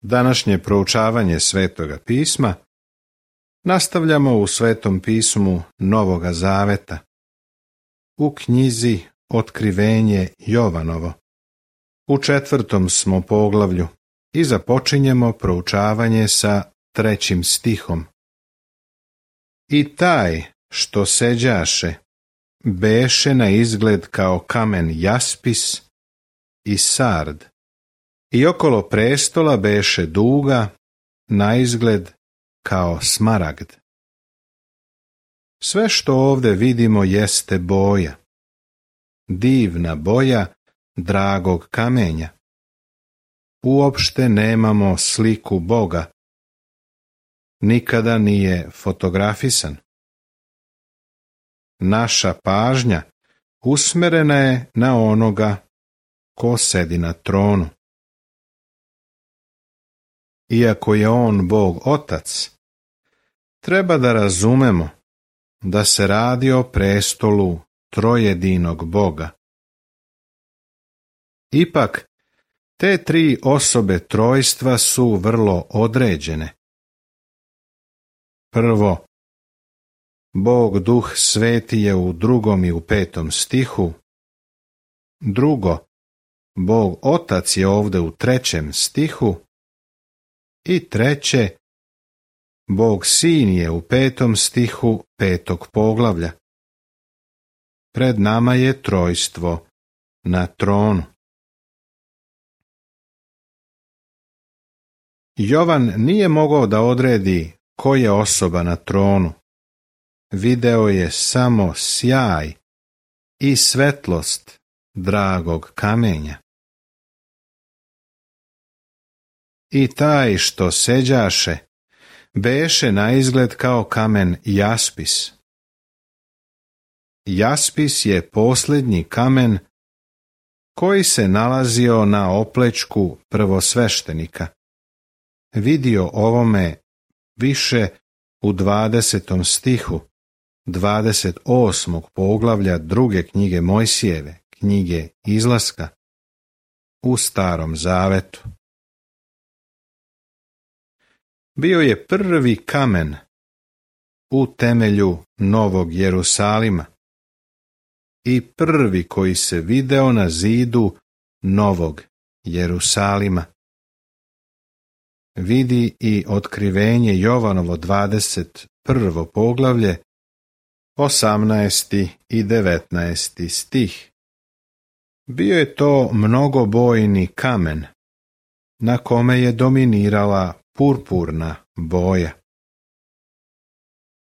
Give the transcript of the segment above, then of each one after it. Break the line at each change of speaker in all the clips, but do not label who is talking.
Današnje proučavanje Svetoga pisma nastavljamo u Svetom pismu Novoga Zaveta, u knjizi Otkrivenje Jovanovo. U 4. smo poglavlju i započinjemo proučavanje sa 3. stihom. I taj što seđaše beše na izgled kao kamen jaspis i sard, i okolo prestola beše duga na izgled kao smaragd. Sve što ovdje vidimo jeste boja, divna boja dragog kamenja. Uopšte nemamo sliku Boga, nikada nije fotografisan. Naša pažnja usmerena je na onoga ko sedi na tronu. Iako je on Bog Otac, treba da razumemo da se radi o prestolu trojedinog Boga. Ipak, te 3 osobe trojstva su vrlo određene. Prvo, Bog Duh Sveti je u 2. i u 5. stihu. Drugo, Bog Otac je ovdje u 3. stihu. I treće, Bog Sin je u 5. stihu 5. poglavlja. Pred nama je trojstvo na tronu. Jovan nije mogao da odredi ko je osoba na tronu. Video je samo sjaj i svetlost dragog kamenja. I taj što seđaše beše na izgled kao kamen jaspis. Jaspis je posljednji kamen koji se nalazio na oplečku prvosveštenika. Vidio ovome više u 20. stihu 28. poglavlja 2. knjige Mojsijeve, knjige Izlaska, u Starom Zavetu. Bio je prvi kamen u temelju Novog Jerusalima i prvi koji se video na zidu Novog Jerusalima. Vidi i Otkrivenje Jovanovo 21. poglavlje, 18. i 19. stih. Bio je to mnogobojni kamen, na kome je dominirala purpurna boja.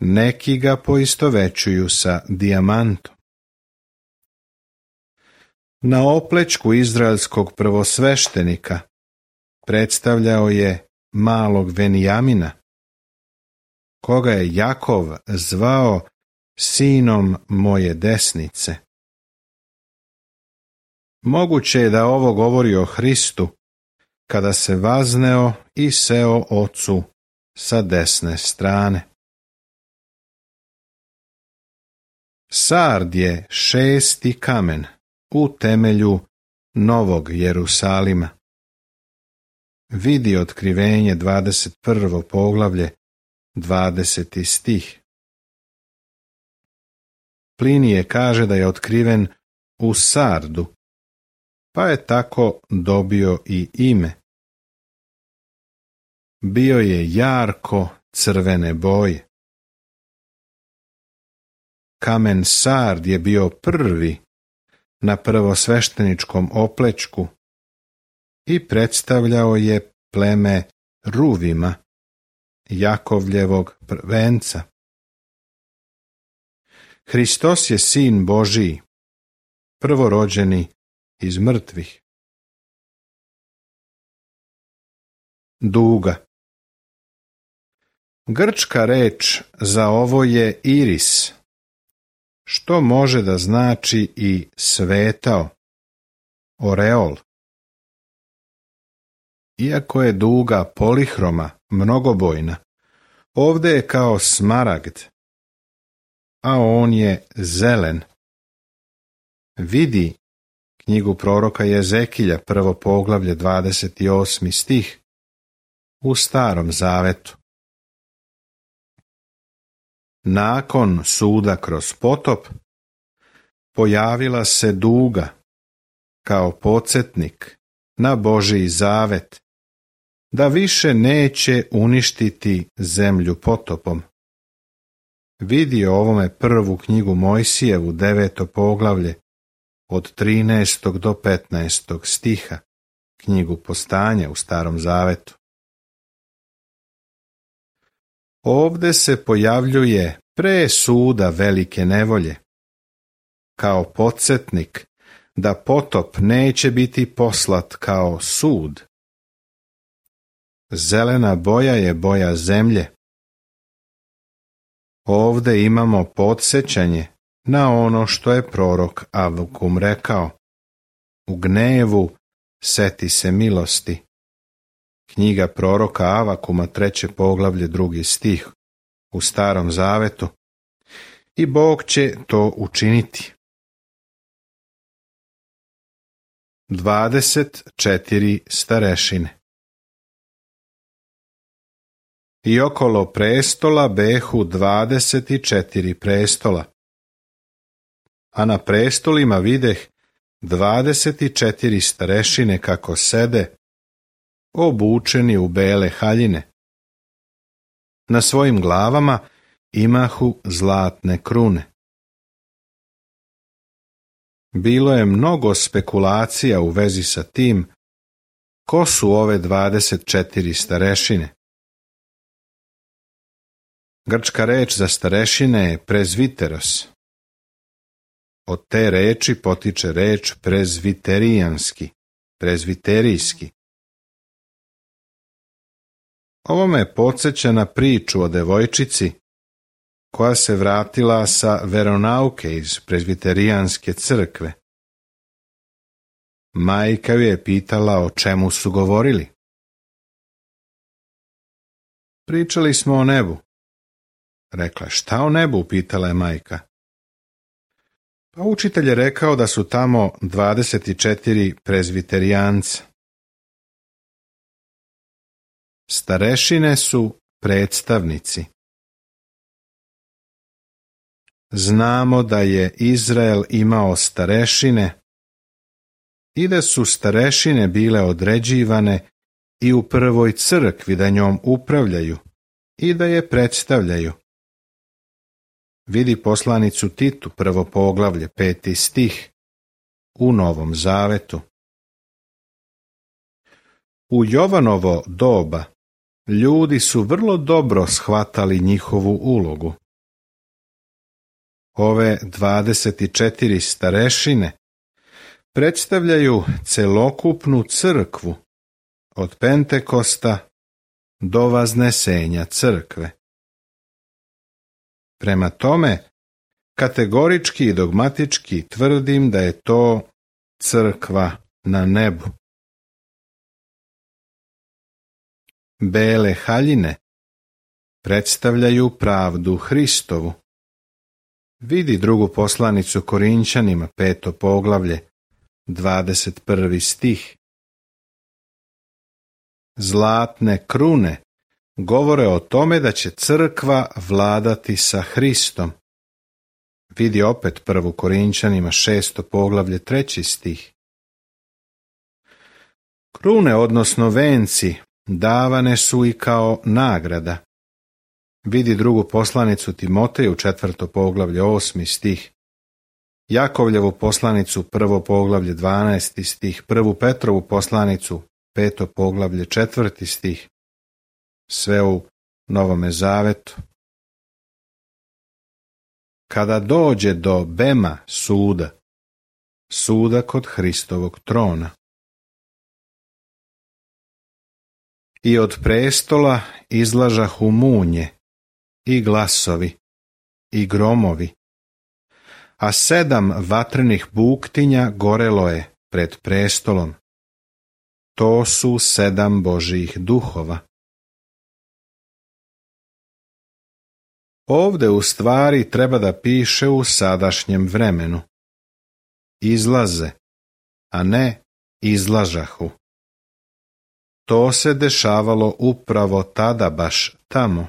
Neki ga poistovećuju sa dijamantom. Na oplečku izraelskog prvosveštenika predstavljao je malog Venijamina, koga je Jakov zvao sinom moje desnice. Moguće je da ovo govori o Hristu, kada se vazneo i seo Ocu sa desne strane. Sard je 6. kamen u temelju Novog Jerusalima. Vidi Otkrivenje 21. poglavlje, 20. stih. Plinije kaže da je otkriven u sardu, pa je tako dobio i ime. Bio je jarko crvene boje. Kamen sard je bio prvi na prvosvešteničkom oplečku i predstavljao je pleme Ruvima, Jakovljevog prvenca. Hristos je Sin Božiji, prvorođeni iz mrtvih. Duga. Grčka reč za ovo je iris, što može da znači i svetao, oreol. Iako je duga polihroma, mnogobojna, ovdje je kao smaragd, a on je zelen. Vidi knjigu proroka Jezekilja, 1. poglavlje, 28. stih. u Starom zavetu. Nakon suda kroz potop, pojavila se duga kao podsjetnik na Božji zavet, da više neće uništiti zemlju potopom. Vidi o ovome prvu knjigu Mojsijevu, 9. poglavlje, od 13. do 15. stiha, knjigu Postanja u Starom zavetu. Ovde se pojavljuje pre suda velike nevolje, kao podsjetnik da potop neće biti poslat kao sud. Zelena boja je boja zemlje. Ovde imamo podsjećanje na ono što je prorok Avakum rekao: u gnevu seti se milosti. Knjiga proroka Avakuma, 3. poglavlje, 2. stih u Starom zavetu. I Bog će to učiniti. 24 starešine. I okolo prestola behu 24 prestola, a na prestolima videh 24 starešine kako sede, obučeni u bele haljine. Na svojim glavama imahu zlatne krune. Bilo je mnogo spekulacija u vezi sa tim ko su ove 24 starešine. Grčka reč za starešine je prezviteros. Od te reči potiče reč prezviterijanski, prezviterijski. Ovo me podsjeća na priču o devojčici koja se vratila sa veronauke iz prezviterijanske crkve. Majka ju je pitala o čemu su govorili. Pričali smo o nebu. Rekla, šta o nebu, pitala je majka. Pa učitelj je rekao da su tamo 24 prezviterijanca. Starešine su predstavnici. Znamo da je Izrael imao starešine i da su starešine bile određivane i u prvoj crkvi da njom upravljaju i da je predstavljaju. Vidi poslanicu Titu, 1. poglavlje, 5. stih, u Novom zavetu. U Jovanovo doba ljudi su vrlo dobro shvatali njihovu ulogu. Ove 24 starešine predstavljaju celokupnu crkvu od Pentekosta do Vaznesenja crkve. Prema tome, kategorički i dogmatički tvrdim da je to crkva na nebu. Bele haljine predstavljaju pravdu Hristovu. Vidi drugu poslanicu Korinćanima, 5. poglavlje, 21. stih. Zlatne krune govore o tome da će crkva vladati sa Hristom. Vidi opet 1. Korinćanima, 6. poglavlje, 3. stih. Krune, odnosno venci, davane su i kao nagrada. Vidi drugu poslanicu Timoteju, 4. poglavlje, 8. stih. Jakovljevu poslanicu, 1. poglavlje, 12. stih. 1. Petrovu poslanicu, 5. poglavlje, 4. stih. Sve u Novome zavetu. Kada dođe do bema suda, suda kod Hristovog trona, i od prestola izlažahu munje, i glasovi, i gromovi, a 7 vatrenih buktinja gorelo je pred prestolom. To su 7 Božjih duhova. Ovde u stvari treba da piše u sadašnjem vremenu. Izlaze, a ne izlažahu. to se dešavalo upravo tada baš tamo.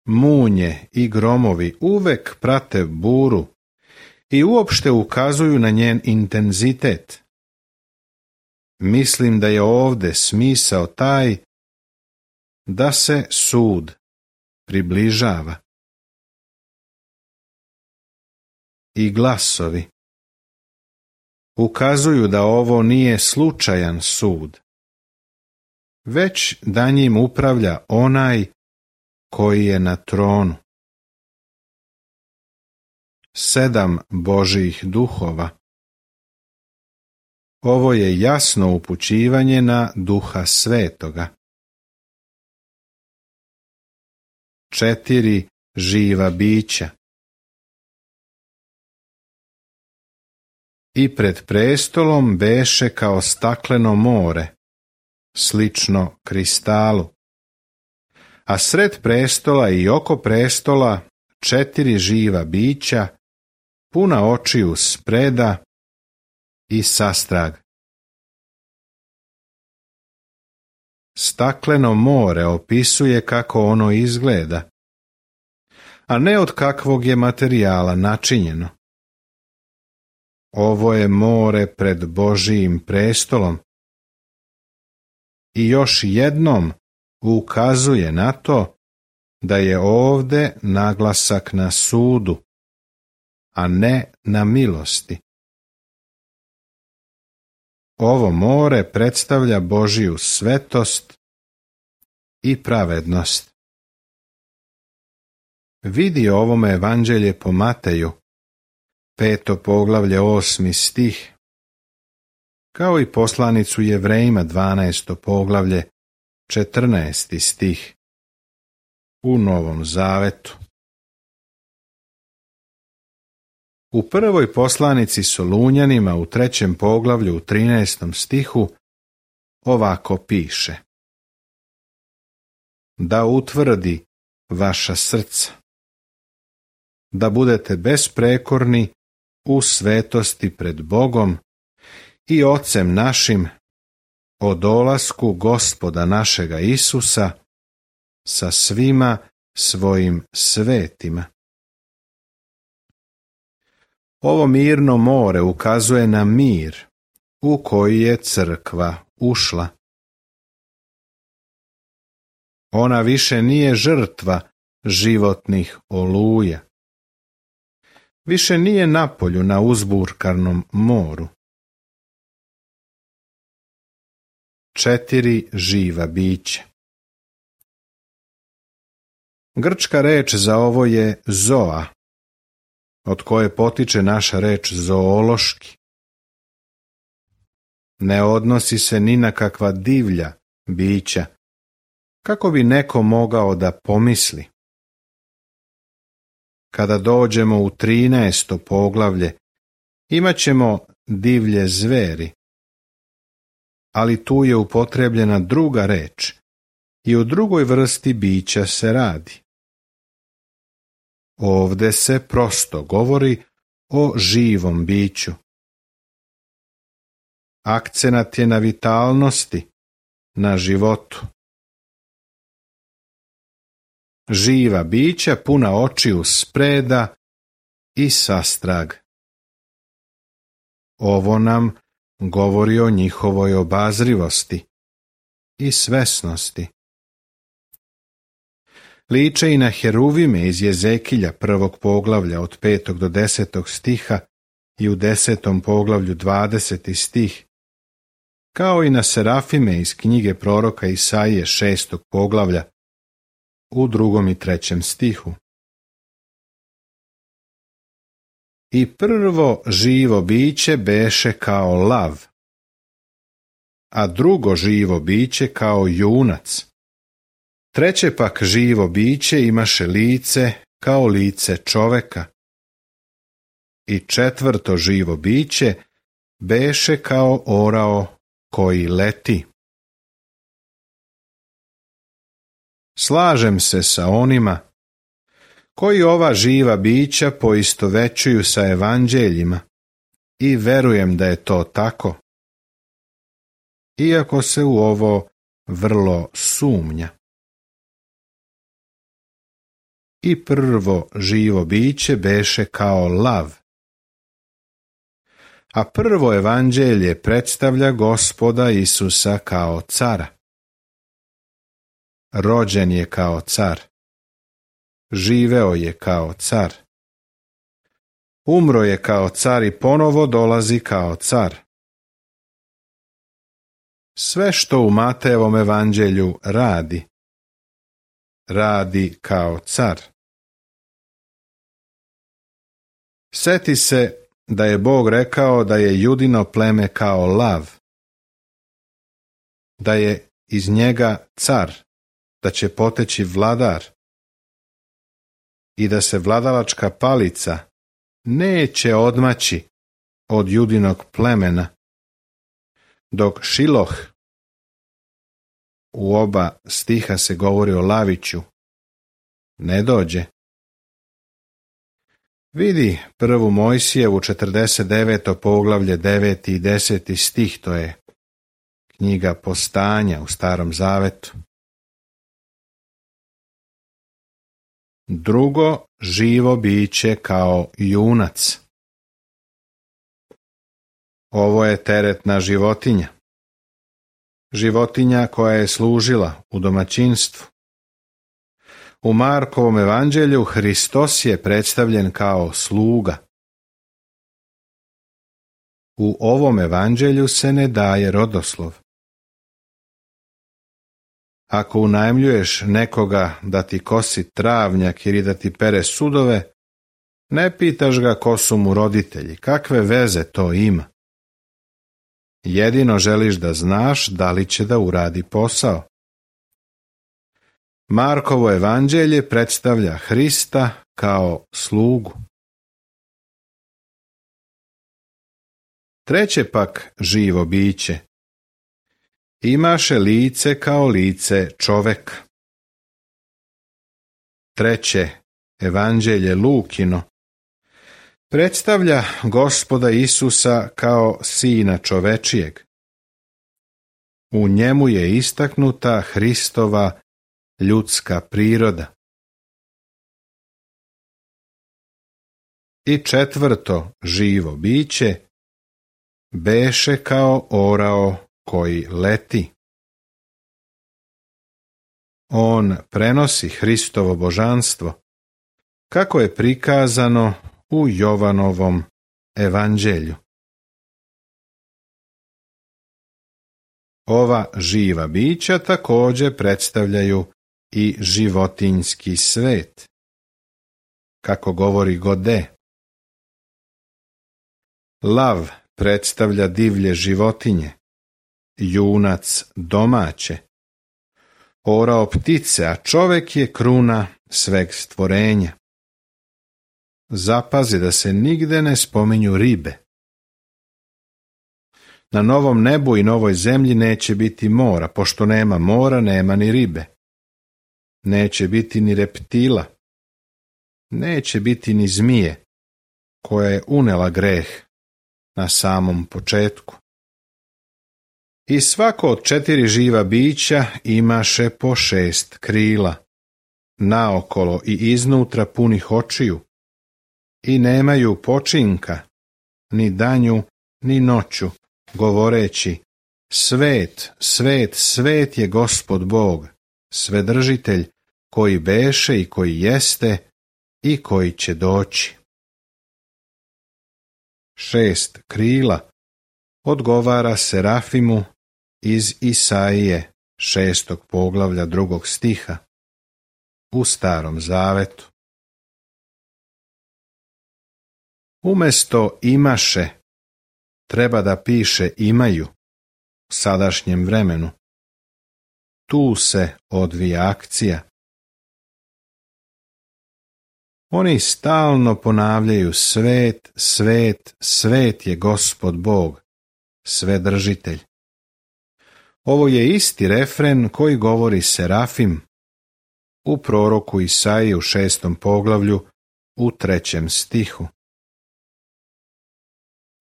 Munje i gromovi uvek prate buru i uopšte ukazuju na njen intenzitet. Mislim da je ovde smisao taj da se sud približava. I glasovi ukazuju da ovo nije slučajan sud, već da njim upravlja onaj koji je na tronu. 7 Božjih duhova. Ovo je jasno upućivanje na Duha Svetoga. 4 živa bića. I pred prestolom beše kao stakleno more, slično kristalu. A sred prestola i oko prestola 4 živa bića, puna očiju spreda i sastrag. Stakleno more opisuje kako ono izgleda, a ne od kakvog je materijala načinjeno. Ovo je more pred Božijim prestolom i još jednom ukazuje na to da je ovde naglasak na sudu, a ne na milosti. Ovo more predstavlja Božiju svetost i pravednost. Vidi ovome evanđelje po Mateju, 5. poglavlje 8. stih, kao i poslanicu Jevrejima 12. poglavlje 14. stih u Novom Zavetu. U prvoj poslanici Solunjanima u 3. poglavlju u 13. stihu ovako piše: da utvrdi vaša srca, da budete besprekorni u svetosti pred Bogom i Ocem našim o dolasku Gospoda našega Isusa sa svima svojim svetima. Ovo mirno more ukazuje na mir u koji je crkva ušla. Ona više nije žrtva životnih oluja. Više nije napolju na uzburkanom moru. 4 živa bića. Grčka reč za ovo je zoa, od koje potiče naša reč zoološki. Ne odnosi se ni na kakva divlja bića, kako bi neko mogao da pomisli. Kada dođemo u 13. poglavlje, imat ćemo divlje zveri, ali tu je upotrebljena druga reč i o drugoj vrsti bića se radi. Ovde se prosto govori o živom biću. Akcenat je na vitalnosti, na životu. Živa bića puna očiju spreda i sastrag. Ovo nam govori o njihovoj obazrivosti i svesnosti. Liče i na heruvime iz Jezekilja 1. poglavlja od 5. do 10. stiha i u 10. poglavlju 20. stih, kao i na serafime iz knjige proroka Isaije 6. poglavlja u 2. i 3. stihu. I prvo živo biće beše kao lav, a drugo živo biće kao junac. Treće pak živo biće imaše lice kao lice čoveka. I četvrto živo biće beše kao orao koji leti. Slažem se sa onima koji ova živa bića poistovećuju sa evanđeljima i verujem da je to tako. iako se u ovo vrlo sumnja. I prvo živo biće beše kao lav. A prvo evanđelje predstavlja Gospoda Isusa kao cara. Rođen je kao car. Živeo je kao car. Umro je kao car i ponovo dolazi kao car. Sve što u Matejevom evanđelju radi kao car. Sjeti se da je Bog rekao da je Judino pleme kao lav, da je iz njega car, da će poteći vladar i da se vladalačka palica neće odmaći od Judinog plemena, dok Šiloh, u oba stiha se govori o laviću, ne dođe. Vidi prvu Mojsijevu 49. poglavlje 9. i 10. stih, to je knjiga Postanja u Starom Zavetu. Drugo živo biće kao junac. Ovo je teretna životinja. Životinja koja je služila u domaćinstvu. U Markovom evanđelju Hristos je predstavljen kao sluga. U ovom evanđelju se ne daje rodoslov. Ako unajmljuješ nekoga da ti kosi travnjak ili da ti pere sudove, ne pitaš ga ko su mu roditelji, kakve veze to ima. Jedino želiš da znaš da li će da uradi posao. Markovo evanđelje predstavlja Hrista kao slugu. Treće pak živo biće imaše lice kao lice čoveka. Treće evanđelje Lukino predstavlja Gospoda Isusa kao sina čovečijeg. U njemu je istaknuta Hristova ljudska priroda. I četvrto živo biće beše kao orao koji leti. On prenosi Hristovo božanstvo, kako je prikazano u Jovanovom evanđelju. Ova živa bića također predstavljaju i životinjski svet, kako govori Gode. Lav predstavlja divlje životinje, junac domaće, orao ptice, a čovek je kruna sveg stvorenja. Zapazi da se nigde ne spominju ribe. Na novom nebu i novoj zemlji neće biti mora, pošto nema mora, nema ni ribe. Neće biti ni reptila. Neće biti ni zmije, koja je unela greh na samom početku. I svako od 4 živa bića imaše po 6 krila, naokolo i iznutra punih očiju, i nemaju počinka, ni danju, ni noću, govoreći: Svet, svet, svet je Gospod Bog, Svedržitelj, koji beše i koji jeste i koji će doći. 6 krila odgovara Serafimu iz Isaije 6. poglavlja 2. stiha u Starom Zavetu. Umesto imaše treba da piše imaju u sadašnjem vremenu. Tu se odvija akcija. Oni stalno ponavljaju: Svet, svet, svet je Gospod Bog, Svedržitelj. Ovo je isti refren koji govori Serafim u proroku Isaiji u 6. poglavlju u 3. stihu.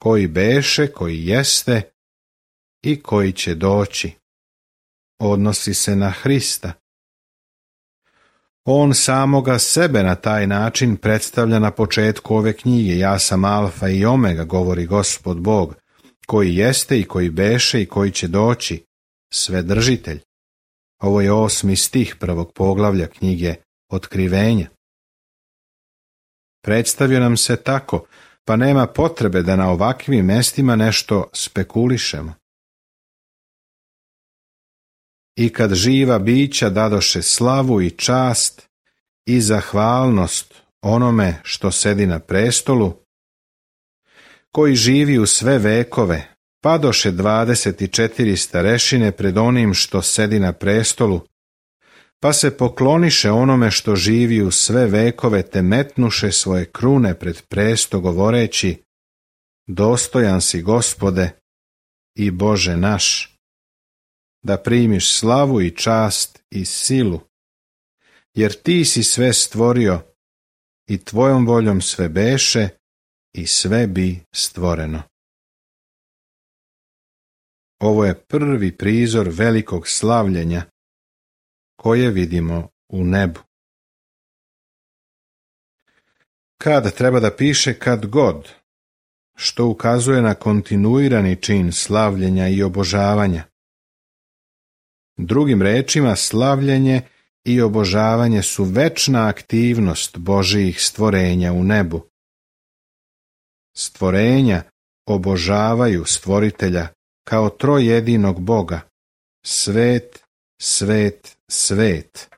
Koji beše, koji jeste i koji će doći. Odnosi se na Hrista. On samoga sebe na taj način predstavlja na početku ove knjige. Ja sam Alfa i Omega, govori Gospod Bog, koji jeste i koji beše i koji će doći, Svedržitelj. Ovo je 8. stih 1. poglavlja knjige Otkrivenja. Predstavio nam se tako, pa nema potrebe da na ovakvim mestima nešto spekulišemo. I kad živa bića dadoše slavu i čast i zahvalnost onome što sedi na prestolu, koji živi u sve vekove, padoše 24 starešine pred onim što sedi na prestolu, pa se pokloniše onome što živi u sve vekove, te metnuše svoje krune pred presto, govoreći: dostojan si, Gospode i Bože naš, da primiš slavu i čast i silu, jer ti si sve stvorio i tvojom voljom sve beše i sve bi stvoreno. Ovo je prvi prizor velikog slavljenja koje vidimo u nebu. Kad treba da piše kad god, što ukazuje na kontinuirani čin slavljenja i obožavanja. Drugim rečima, slavljenje i obožavanje su večna aktivnost Božijih stvorenja u nebu. Stvorenja obožavaju stvoritelja kao trojedinog Boga. Svet, svet, svet.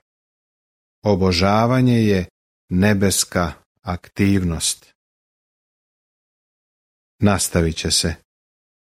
Obožavanje je nebeska aktivnost. Nastavit će se